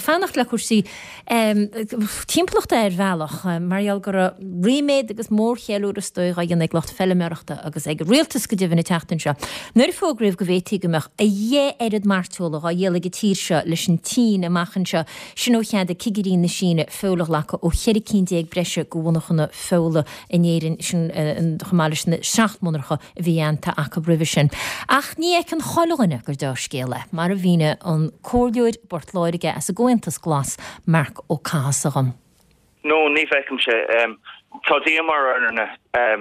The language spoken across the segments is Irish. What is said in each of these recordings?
Ag fanacht le cúrsaí timpeallachta ar bhealach, mar gheall go raibh ríméad agus mórcheiliúradh is dóigh á dhéanamh ag lucht feiliméarachta agus ag an rialtas go deimhin an tseachtain seo nuair a fógraíodh go bhféadfaí go mbeadh a dheich oiread mairteola dhá dhíol ag an tír seo leis an tSín amach anseo, sin ó cheadaigh cigirí na Síne feoil a ghlacadh ó 14 cinn breise de mhonarchana feola in Éirinn, sin chomh maith leis na 7 monarcha a bhí aitheanta acu roimhe sin. Ach ní fheiceann chuile dhuine gur deá-scéal é, mar a mhínigh an Comhairleoir i bPort Láirge as an gComhaontas Glas, Marc Ó Cathasaigh dhom. No, ní fheicimse. Tá díomá orainne sa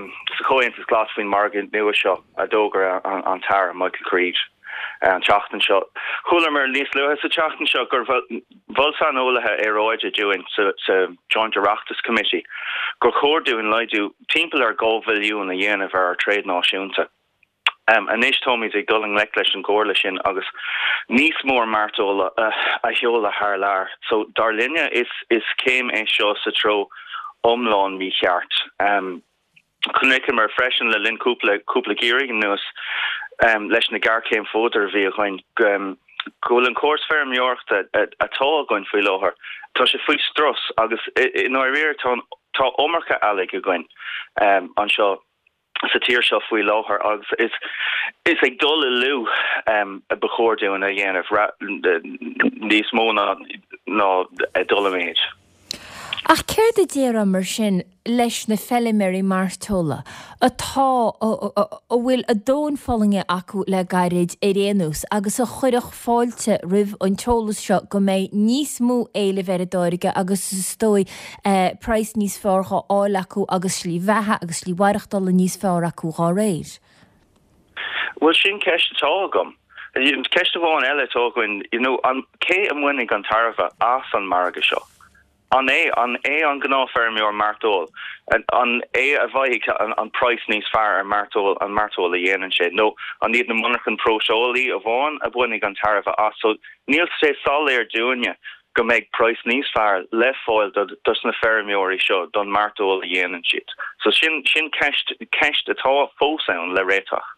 Chomhaontas Glas faoin margadh nua seo a d'fhógair an tAire Michael Creed an tseachtain seo. Chualamar níos luaithe sa tseachtain seo gur mhol saineolaithe aeráide dúinn sa Joint Oireachtas Committee gur chóir dúinn laghdú timpeall ar 2 bhilliún a dhéanamh ar ár tréad náisiúnta. Anois táimid ag dul i ngleic leis an gcomhairle sin agus níos mór mairteola a sheoladh thar lear. So dar linne is céim é seo sa treo iomlán mícheart. Chonaiceamar freisin le linn cúpla cúpla geimhreadh anuas leis na géarchéim fuadair a bhí againn go bhfuil an córas feirmeoireachta atá againn faoi láthair, tá sé faoi strus agus i ndáiríre tá tá iomarca eallaigh againn anseo sa tír seo faoi láthair agus is is ag dul i lú a ba chóir dúinn a dhéanamh níos mó ná ná ag dul i méid. Ach céard a déarfá mar sin leis na feiliméaraí mairteola atá, a bhfuil a dtóin fulaingthe acu le gairid ar aon nós agus a chuirfeadh fáilte roimh an t-eolas seo go mbeidh níos mó éilimh ar a dtáirge agus is dóigh praghas níos fearr dhá fháil acu agus slí bheatha agus slí mhaireachtála níos fearr acu dhá réir? Bhuel, sin ceist atá agam. Ceist amháin eile atá againn, you know, an, cé a mbainfidh an tairbhe as an margadh seo? An é, an é an gnáthfheirmeoir mairteoil? An é a bhfaighidh an, an praghas níos fearr ar mairteoil, an mairteoil a dhéanann sé? Nó an iad na monarchain próiseálaí amháin a bhainfidh an tairbhe as? So, níl sé soiléir dúinne go mbeidh praghas níos fearr le fáil do, dos na feirmeoirí seo don mairteoil a dhéanann siad. So sin, sin ceist, ceist atá fós ann le réiteach.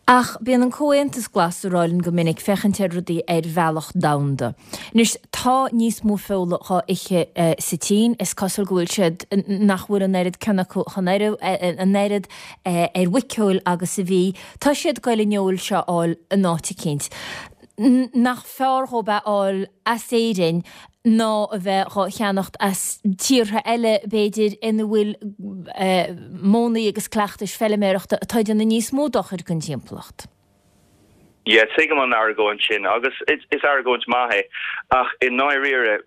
Ach bíonn an Comhaontas Glas ag rá linn go minic féachaint ar rudaí ar bhealach domhanda. Anois, tá níos mó feola dhá ithe sa tSín, is cosúil go bhfuil siad, nach bhfuil an oiread cion acu chun an oiread ar mhuiceoil agus a bhí. Tá siad ag goil an fheoil seo a fháil in áit eicínt. Nach fearr dhóibh é a fháil as Éirinn ná a bheith dhá cheannacht as tíortha eile, b'fhéidir, ina bhfuil modhanna agus cleachtais feiliméarachta atá ag déanamh níos mó dochair don timpeallacht. Yeah, tuigim an argóint sin agus is argóint maith é ach i ndáiríre,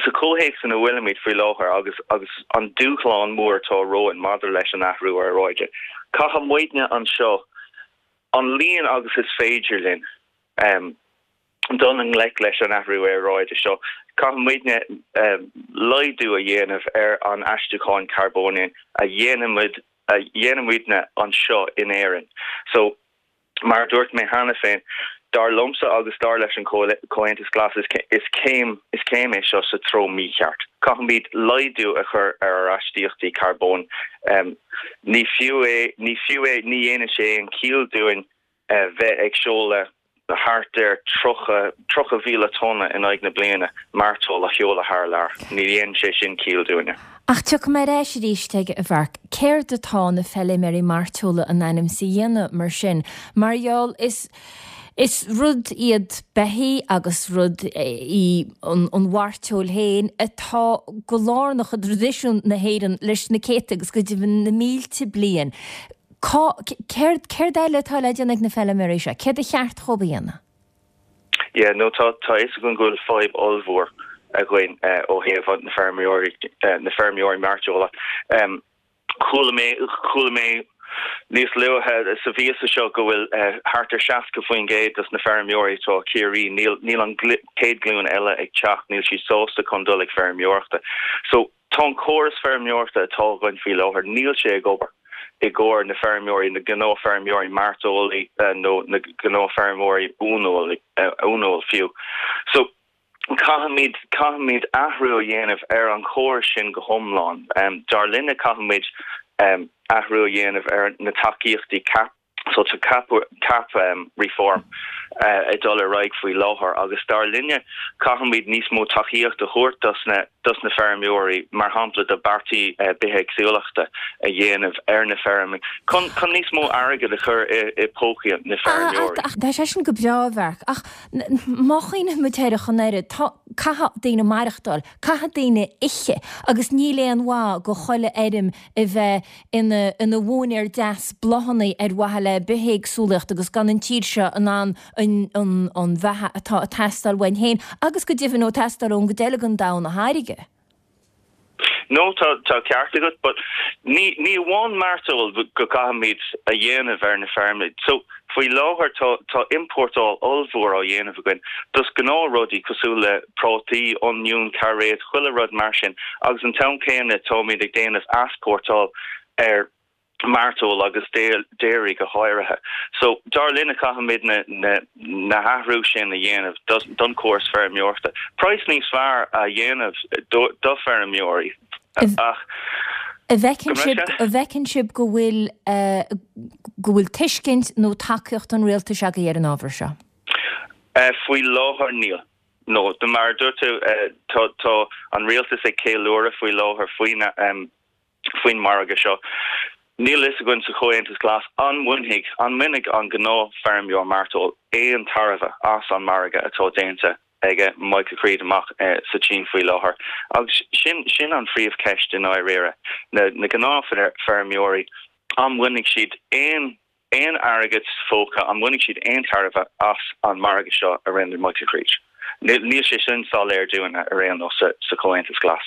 sa chomhthéacs ina bhfuilimid faoi láthair agus agus an dúshlán mór atá romhainn maidir leis an athrú aeráide, caithfidh muidne anseo an líon agus is féidir linn dul i ngleic leis an athrú aeráide seo, caithfidh muidne laghdú a dhéanamh ar an aistriúchán carbóin a dhéanaimid a dhéanaimidne anseo in Éirinn. So, mar a dúirt mé cheana féin, dar liomsa agus dar leis an Comhaontas Glas is céim is céim é seo sa treo mícheart. Caithfimid laghdú a chur ar ár astaíochtaí carbóin. Ní fiú é, ní fiú é, ní dhéanann sé aon chiall dúinn bheith ag seoladh thart ar 30, 30,000 tonna in aghaidh na bliana mairteoil a sheoladh thar lear. Ní dhéanann sé sin ciall dúinne. Ach tiocfaidh mé ar ais arís aige, a Mharc. Céard atá na feiliméaraí mairteola in ainm is a dhéanamh mar sin? Mar gheall, is, is rud iad beithígh agus rud í an mhairteoil féin atá go lárnach i dtraidisiún na hÉireann leis na céadta agus go deimhin na mílte bliain. Cá, céard, céard eile atá le déanamh ag na feiliméaraí seo? Céard a cheart dhóibh a dhéanamh? Yeah, no, tá, tá a fhios againn go bhfuil fadhb ollmhór againn ó thaobh na feirmeoirí, na feirmeoirí mairteola. Chuala mé, chuala mé níos luaithe sa mhíosa seo go bhfuil thart ar 60% dos na feirmeoirí atá i Ciarraí, níl, níl an chéad ghlúin eile ag teacht, níl siad sásta chun dul ag feirmeoireachta. So, tá an córas feirmeoireachta atá againn faoi láthair, níl sé ag obair i gcomhair na feirmeoirí, na gnáthfheirmeoirí mairteolaí nó na gnáthfheirmeoirí uaineoil fiú. So, Caithfimid, caithfimid athrú a dhéanamh ar an chóras sin go hiomlán. Dar linne caithfimid athrú a dhéanamh ar na tacaíochtaí CAP. So tá cap cap reform ag dul ar aghaidh faoi láthair agus dar linne caithfimid níos mó tacaíocht a thabhairt dos na dos na feirmeoirí, mar shampla do beartaí bithéagsúlachta a dhéanamh ar na feirmí chun chun níos mó airgead a chur i i pócaí na feirmeoirí. Tá sé sin go breá, a Mharc, ach má chuimhníonn muid air ach an oiread, tá, caithfidh daoine maireachtáil, caithfidh daoine ithe agus níl aon mhaith go chuile fheirm a bheith ina ina mhóinéar deas bláthanna ar mhaithe le bithéagsúlacht agus gan an tír seo in ann an an an bheatha atá ag teastáil uainn féin agus go deimhin ó teastáil ón gcuid eile den domhan a tháirgeadh. No, tá tá ceart agat, but ní ní amháin mairteoil go gcaithfimid a dhéanamh ar na feirmeanna. So, faoi láthair tá tá iompórtáil ollmhór á dhéanamh againn dos gnáthrudaí cosúil le prátaí, oinniún, cairéad, chuile rud mar sin agus an t-am céanna táimid ag déanamh easpórtáil ar mairteoil agus dairy go háirithe. So, dar linne caithfimid na na na hathrú sin a dhéanamh don córas feirmeoireachta. Praghas níos fearr a dhéanamh do do feirmeoirí ach An bhfeiceann sibh, an bhfeiceann sibh go bhfuil go bhfuil tuiscint nó tacaíocht an rialtais agaibh ar an ábhar seo? Faoi láthair níl. No, mar a dúirt tú, tá tá an rialtas ag ceiliúradh faoi láthair faoin faoin margadh seo. Níl a fhios againn sa Chomhaontas Glas an mbainfidh an mbainfidh an gnáthfheirmeoir mairteoil aon tairbhe as an margadh atá déanta ag Michael Creed amach sa tSín faoi láthair. Agus sin sin an phríomhcheist i ndáiríre. Na na gnáthfheirmeoirí, an mbainfidh siad aon aon airgead sa phóca, an mbainfidh siad aon tairbhe as an margadh seo a rinne Michael Creed? Níl sé sin soiléir dúinn ar aon nós sa Chomhaontas Glas.